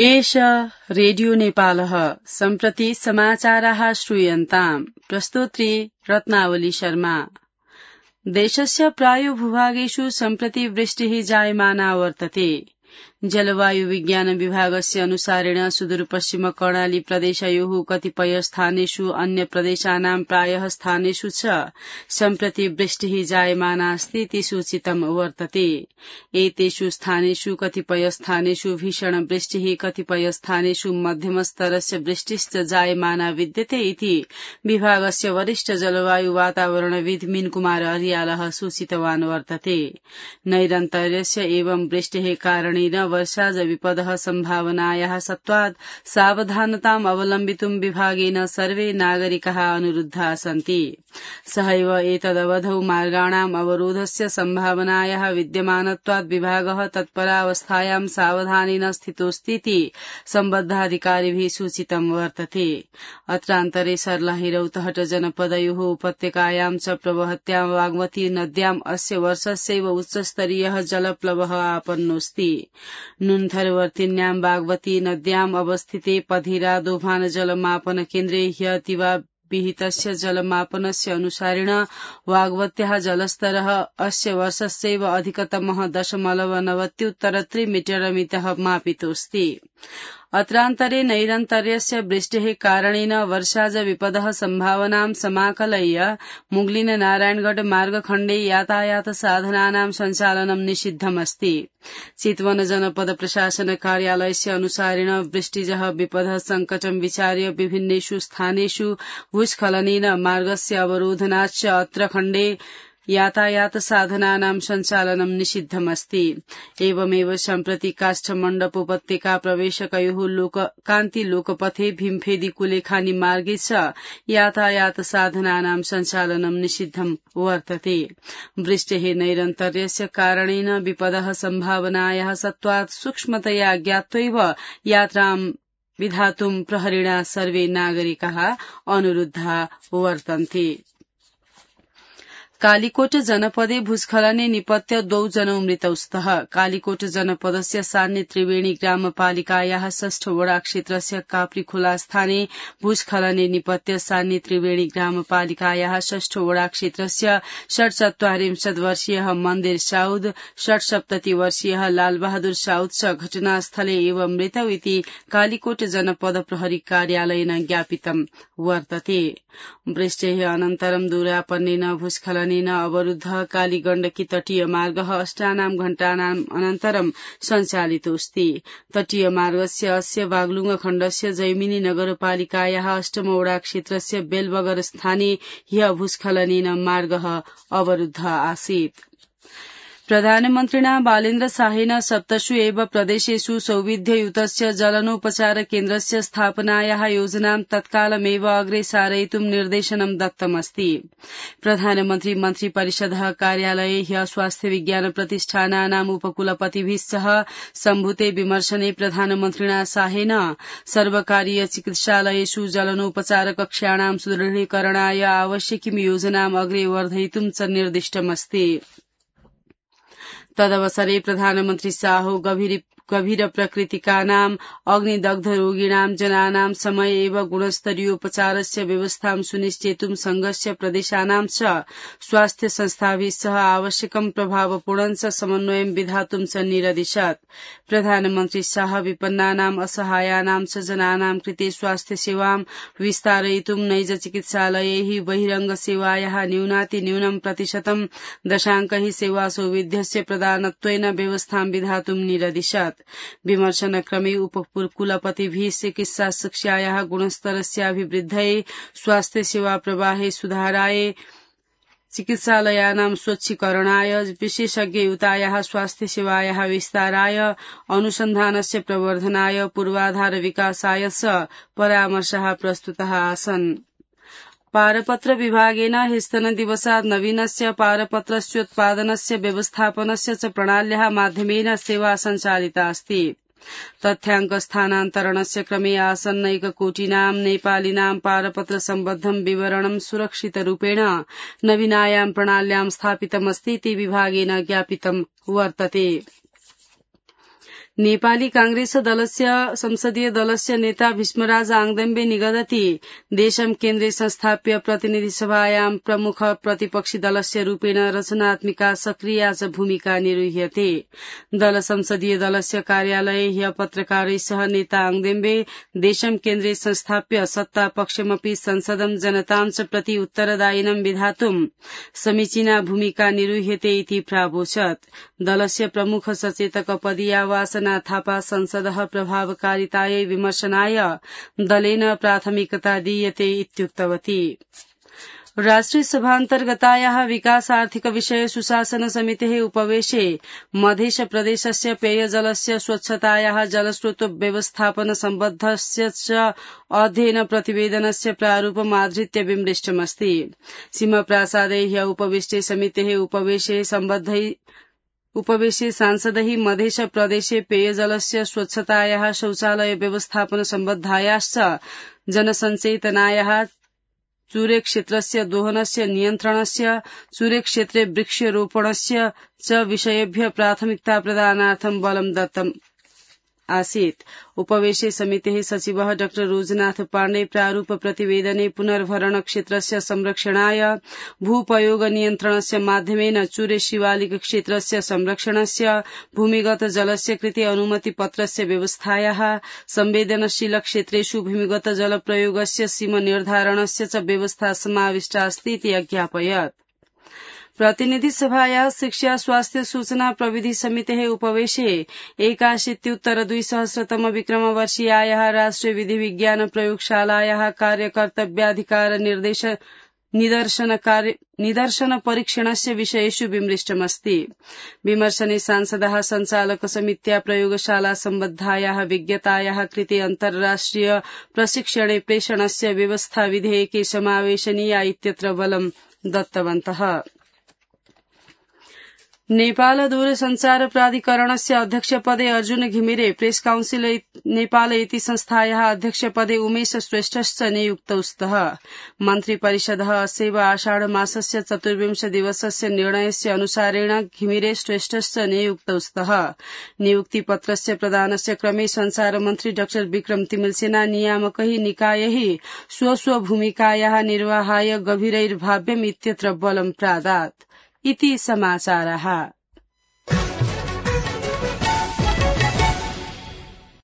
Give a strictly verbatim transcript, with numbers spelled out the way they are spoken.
एष रेडियो नेपालः सम्प्रति समाचाराः श्रूयन्ताम् प्रस्तोत्री रत्नावली शर्मा। देशस्य प्रायो भूभागेषु सम्प्रति वृष्टिः जायमाना वर्तते। जलवायु विज्ञान विभागस्य अनुसारेण सुदूरपश्चिम कर्णाली प्रदेशयोः कतिपय स्थानेषु अन्य प्रदेशानां प्रायः स्थानेषु च सम्प्रति वृष्टिः जायमाना अस्ति इति सूचितं वर्तते। एतेषु स्थानेषु कतिपय स्थानेषु भीषण वृष्टिः कतिपय स्थानेषु मध्यमस्तरस्य वृष्टिश्च जायमाना विद्यते इति विभागस्य वरिष्ठ जलवायु वातावरणविद् मीनकुमार अर्यालः सूचितवान् वर्तते। नैरन्तर्यस्य एवं वृष्टेः कारणेन वर्षाज विपदः सम्भावनायाः सत्त्वात् सावधानताम् अवलम्बितुं विभागेन सर्वे नागरिकाः अनुरुद्धाः सन्ति। सहैव एतदवधौ मार्गाणाम् अवरोधस्य सम्भावनायाः विद्यमानत्वात् विभागः तत्परावस्थायां सावधानेन स्थितोऽस्तीति सम्बद्धाधिकारिभिः सूचितं वर्तते। अत्रान्तरे सर्लाहिरौतहट जनपदयोः उपत्यकायां च प्रवहत्यां बागमती नद्याम् अस्य वर्षस्यैव उच्चस्तरीयः जलप्लवः आपन्नोऽस्ति। नुन्थरवर्तिन्यां बागमती नद्याम् अवस्थिते पधिरा दोभान जलमापन केन्द्रे ह्यतिवा विहितस्य जलमापनस्य अनुसारेण वागवत्याः जलस्तरः अस्य वर्षस्यैव अधिकतमः दशमलव नवत्युत्तर त्रिमीटर मितः मापितोऽस्ति। अत्रान्तरे नैरन्तर्यस्य वृष्टेः कारणेन वर्षाज विपदः सम्भावनां समाकलय्य मुगलिन नारायणगढ़ मार्गखण्डे यातायात साधनानां सञ्चालनं निषिद्धमस्ति। चितवन जनपद प्रशासन कार्यालयस्य अनुसारेण वृष्टिजः विपदः संकटं विचार्य विभिन्नेषु स्थानेषु भूस्खलनेन मार्गस्य अवरोधनाच्च अत्र खण्डे यातायात साधनानां सञ्चालनं निषिद्धमस्ति। एवमेव सम्प्रति काष्ठमण्डप उपत्यका प्रवेशकयोः लोककान्ति लोकपथे भीमफेदी कुलेखानी मार्गे च यातायात साधनानां सञ्चालनं निषिद्धं वर्तते। वृष्टेः नैरन्तर्यस्य कारणेन विपदः सम्भावनायाः सत्त्वात् सूक्ष्मतया ज्ञात्वैव यात्रां विधातुं प्रहरिणा सर्वे नागरिकाः अनुरुद्धाः वर्तन्ते। कालीकोट जनपदे भूस्खलने निपत्य द्वौ जनौ मृतौ स्तः। कालीकोट जनपदस्य सान्य त्रिवेणी ग्रामपालिकायाः षष्ठ वडा क्षेत्रस्य काप्रीखोला स्थाने भूस्खलने निपत्य सान्य त्रिवेणी ग्रामपालिकायाः षष्ठ वडा क्षेत्रस्य षट्चत्वारिंशत् वर्षीयः मन्दिर साउद षट्सप्तति वर्षीयः लालबहादुर साउद च घटनास्थले एव मृतौ इति कालीकोट जनपद प्रहरी कार्यालयेन ज्ञापितं वर्तते। वृष्टेः अनन्तरं दूरापन्नेन भूस्खलनेन अवरुद्धः कालीगण्डकी तटीय मार्गः अष्टानां घण्टानाम् अनन्तरं सञ्चालितोऽस्ति। तटीय मार्गस्य अस्य बागलुङ खण्डस्य जैमिनी नगरपालिकायाः अष्टमवडा क्षेत्रस्य बेलबगर स्थाने ह्यः भूस्खलनेन मार्गः अवरुद्धः आसीत्। प्रधानमन्त्रिणा बालेन्द्र शाहेन सप्तसु एव प्रदेशेषु सौविध्ययुतस्य जलनोपचार केन्द्रस्य स्थापनायाः योजनां तत्कालमेव अग्रे सारयितुं निर्देशनं दत्तमस्ति। प्रधानमन्त्री मन्त्रिपरिषदः कार्यालये ह्यः स्वास्थ्य विज्ञान प्रतिष्ठानानाम् उपकुलपतिभिः सह सम्भूते विमर्शने प्रधानमन्त्रिणा शाहेन सर्वकारीय चिकित्सालयेषु जलनोपचार कक्षाणां सुदृढीकरणाय आवश्यकीं योजनाम् अग्रे वर्धयितुं च निर्दिष्टमस्ति। तदवसरे प्रधानमन्त्री शाहो गभीर गभीर प्रकृतिकानाम् अग्निदग्ध रोगिणां जनानां समय एव गुणस्तरीयोपचारस्य व्यवस्थां सुनिश्चेतुं संघस्य प्रदेशानां च स्वास्थ्य संस्थाभिः सह आवश्यकं प्रभावपूर्णं च समन्वयं विधातुं च निरदिशत्। प्रधानमन्त्री शाह विपन्नानाम् असहायानां च जनानां कृते स्वास्थ्य सेवां विस्तारयितुं नैज चिकित्सालयैः बहिरंग सेवायाः न्यूनातिन्यूनं प्रतिशतं दशांकैः सेवा सौविध्यस्य प्रदानत्वेन व्यवस्थां विधातुं निरदिशत्। विमर्शनक्रमे उपकुलपतिभिः चिकित्सा शिक्षायाः गुणस्तरस्याभिवृद्धये स्वास्थ्य सेवा प्रवाहे सुधाराय चिकित्सालयानां स्वच्छीकरणाय विशेषज्ञयुतायाः स्वास्थ्य सेवायाः विस्ताराय अनुसन्धानस्य प्रवर्धनाय पूर्वाधार विकासाय च परामर्शाः प्रस्तुताः आसन्। पारपत्र विभागेन ह्यस्तनदिवसात् नवीनस्य पारपत्रस्योत्पादनस्य व्यवस्थापनस्य च प्रणाल्याः माध्यमेन सेवा सञ्चालिता अस्ति। तथ्याङ्क स्थानान्तरणस्य क्रमे आसन्नैककोटिनां नेपालिनां पारपत्र सम्बद्धं विवरणं सुरक्षितरूपेण नवीनायां प्रणाल्यां स्थापितमस्ति इति विभागेन ज्ञापितं वर्तते। नेपाली कांग्रेस दलस्य संसदीय दलस्य नेता भीष्मराज आङदेम्बे निगदति देशम केन्द्रे संस्थाप्य प्रतिनिधि सभायां प्रमुख प्रतिपक्षी दलस्य रूपेण रचनात्मिका सक्रिया च भूमिका निरूह्यते। दल संसदीय दलस्य कार्यालये ह्य पत्रकारैः सह नेता आङदेम्बे देशम केन्द्रे संस्थाप्य सत्ता पक्षमपि संसदं जनतां च प्रति उत्तरदायिनं विधातुं समीचीना भूमिका निरूह्यते इति प्रावोचत्। दलस्य प्रमुख सचेतक पदीया वासना थापा संसदः प्रभावकारितायै विमर्शनाय दलेन प्राथमिकता दीयते इत्युक्तवती। राष्ट्रिय सभान्तर्गतायाः विकासार्थिक विषय सुशासन समितेः उपवेशे मध्य प्रदेशस्य पेयजलस्य स्वच्छतायाः जलस्रोत व्यवस्थापन सम्बद्धस्य च अध्ययन प्रतिवेदनस्य प्रारूपम् आधृत्य विमृष्टमस्ति। सीमप्रासादे ह्य उपविष्टे समितेः उपवेशे सम्बद्धै उपवेशे सांसदैः मध्य प्रदेशे पेयजलस्य स्वच्छतायाः शौचालय व्यवस्थापन सम्बद्धायाश्च जनसञ्चेतनायाः चूरे क्षेत्रस्य दोहनस्य नियन्त्रणस्य चूरे क्षेत्रे वृक्षरोपणस्य च विषयेभ्य प्राथमिकता प्रदानार्थं बलं दत्तम् आसीत्। उपवेशे समितेः सचिवः डाक्टर रोजनाथ पाण्डे प्रारूप प्रतिवेदने पुनर्भरण क्षेत्रस्य संरक्षणाय भूपयोग नियन्त्रणस्य माध्यमेन चूरे शिवालिक क्षेत्रस्य संरक्षणस्य भूमिगत जलस्य कृते अनुमति पत्रस्य व्यवस्थायाः संवेदनशील क्षेत्रेषु भूमिगत जल प्रयोगस्य सीमा निर्धारणस्य च व्यवस्था समाविष्टा अस्ति इति अज्ञापयत्। प्रतिनिधि सभायाः शिक्षा स्वास्थ्य सूचना प्रविधि समितेः उपवेशे एकाशीत्युत्तर द्विसहस्रतम विक्रमवर्षीयायाः राष्ट्रिय विधि विज्ञान प्रयोगशालायाः कार्यकर्तव्याधिकार निर्देश निदर्शन कार्य निदर्शन परीक्षणस्य विषयेषु विमृष्टमस्ति। विमर्शने सांसदः संचालक समित्या प्रयोगशाला सम्बद्धायाः विज्ञतायाः कृते अन्तर्राष्ट्रिय प्रशिक्षणे प्रेषणस्य व्यवस्था विधेयके समावेशनीया इत्यत्र बलं दत्तवन्तः। नेपाल दूरसञ्चार प्राधिकरणस्य अध्यक्षपदे अर्जुन घिमिरे, प्रेस काउन्सिल नेपाल इति संस्थायाः अध्यक्षपदे उमेश श्रेष्ठश्च नियुक्तौ स्तः। मन्त्रिपरिषदः अस्यैव आषाढ मासस्य चतुर्विंश दिवसस्य निर्णयस्य अनुसारेण घिमिरे श्रेष्ठश्च नियुक्तौ स्तः। नियुक्तिपत्रस्य प्रदानस्य क्रमे संचारमन्त्री डाक्टर विक्रम तिमलसेना नियामकैः निकायैः स्वस्वभूमिकायाः निर्वाहाय गभीरैर्भाव्यम् इत्यत्र बलं प्रादात् इति समाचारः।